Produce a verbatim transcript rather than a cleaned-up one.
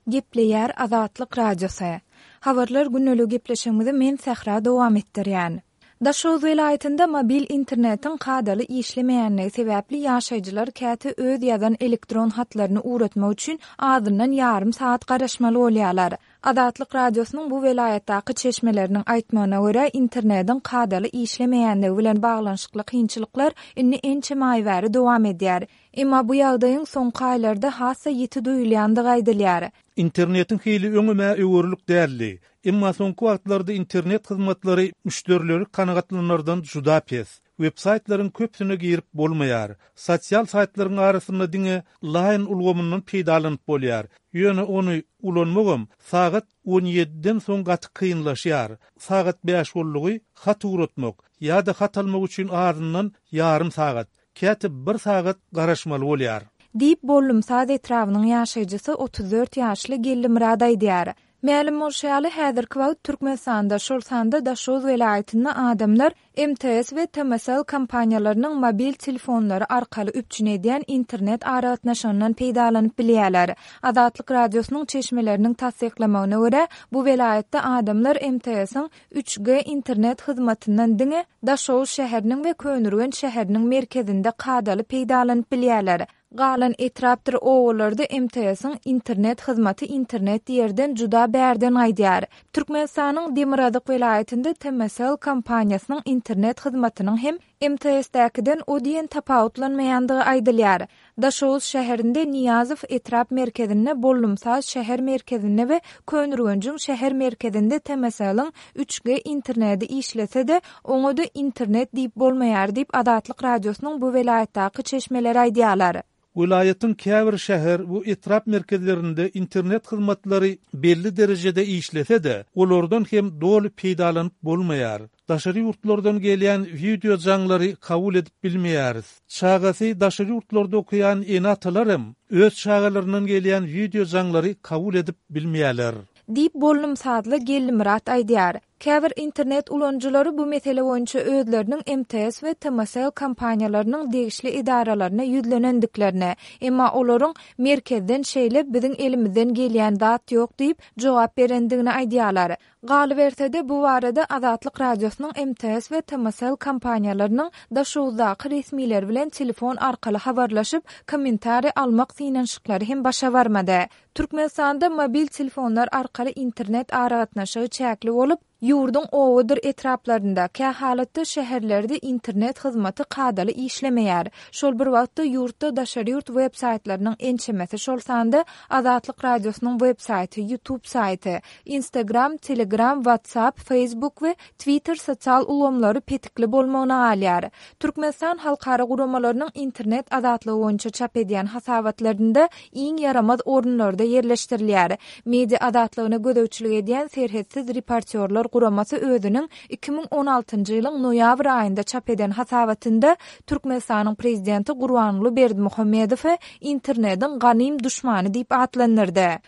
Gepleýär Azatlyk Radiosy. Habarlar gündelik gepleşigimizi men Sähra dowam etdirýän. Daşoguz welaýatynda mobil internetiň kadaly işlemeýänligi sebäpli ýaşaýjylar käte öz ýazan elektron hatlaryny ugratmak üçin azyndan ýarym sagat garaşmaly bolýarlar. Azatlyk Radiosynyň bu welaýatdaky çeşmeleriniň aýtmagyna görä, internetiň kadaly işlemeýänligi bilen baglanyşykly kynçylyklar indi ençeme aý bäri dowam edýär. Emma bu ýagdaýyň soňky aýlarda has-da ýiti duýulýandygy aýdylýar. Internetiň hili öňüme öwürlik däldi. Emma soňky wagtlarda internet hyzmatlary müşderileri kanagatlanardan juda pes. Web-saýtlaryň köpüsine girip bolmaýar. Sosial saýtlaryň arasynda diňe Line ulgamyndan peýdalanyp bolýar. Ýöne ony ulanmagam sagat on ýediden soň gaty kynlaşýar. Sagat bäş boldugy hat ugratmak ýa-da hat almak üçin azyndan ýarym sagat, käte bir sagat garaşmaly bolýar. Diýip Bollumsaz etrabynyň ýaşaýjysy otuz dört ýaşly Gellimurad aýdýar. Mälim bolşy ýaly, häzirki wagt Türkmenistanda, şol sanda Daşoguz welaýatynda adamlar M T S we T M S L kompaniýalarynyň mobil telefonlary arkaly üpjün edýän internet aragatnaşygyndan peýdalanyp bilýärler. Azatlyk Radiosynyň çeşmeleriniň tassyklamagyna görä, bu welaýatda adamlar M T S-iň üç G internet hyzmatyndan diňe Daşoguz şäheriniň we Köneürgenç şäheriniň merkezinde kadaly peýdalanyp bilýärler. Galan etrapdyr obalarda M T S-iň internet hyzmaty internet ýerden juda bärden gaýdýar. Türkmenistanyň Demirgazyk welaýatynda T M S L kompaniýasynyň internet hyzmatynyň hem M T S-däkiden o diýen tapawutlanmaýandygy aýdylýar. Daşoguz şäherinde Niýazow etrap merkezinde, Bollumsaz şäher merkezinde we Köneürgenjiň şäher merkezinde T M S L-iň üç G interneti işlese-de, oňa-da internet diýip bolmaýar diýip Azatlyk Radiosynyň bu welaýatdaky çeşmeleri aýdýarlar. Welaýatyň käbir şäher we etrap merkezlerinde internet hyzmatlary belli derejede işlese-de, olardan hem doly peýdalanyp bolmaýar. Daşary ýurtlardan gelýän video jaňlary kabul edip bilmeýäris. Çagasy daşary ýurtlarda okaýan ene-atalar hem öz çagalaryndan gelýän video jaňlary kabul edip bilmeýärler. Diýip Bollumsazly Gellimurad aýdýar. Käbir internet ulanyjylary bu mesele boýunça özleriniň M T S we T M S L kompaniýalarynyň degişli edaralaryna ýüzlenendiklerini, emma olaryň merkezden şeýle biziň elimizden gelýän zat ýok diýip jogap berendigini aýdýarlar. Galyberse-de bu barada Azatlyk Radiosynyň M T S we T M S L kompaniýalarynyň Daşoguzdaky resmileri bilen telefon arkaly habarlaşyp, kommentariý almak synanyşyklary hem başa barmady. Türkmenistanda mobil telefonlar arkaly internet aragatnaşygy çäkli bolup, ýurduň obadyr etraplarynda, kä halatda şäherlerde internet hyzmaty kadaly işlemeýär. Şol bir wagtda ýurtda daşary ýurt web-saýtlarynyň ençemesi, şol sanda Azatlyk Radiosynyň web-saýty, YouTube saýty, Instagram, Telegram, WhatsApp, Facebook we Twitter sosial ulgamlary petikli bolmagyna galýar. Türkmenistan halkara guramalarynyň internet azatlygy boýunça çap edýän hasabatlarynda iň ýaramaz orunlarda ýerleşdirilýär. Media azatlygyna gözegçilik edýän serhetsiz reportyorlar guramasy özüniň iki müň on altynjy ýylyň noýabr aýynda çap eden hasabatynda Türkmenistanyň prezidenti Gurbanguly Berdimuhamedowy internetiň ganym duşmany diýip atlandyrdy.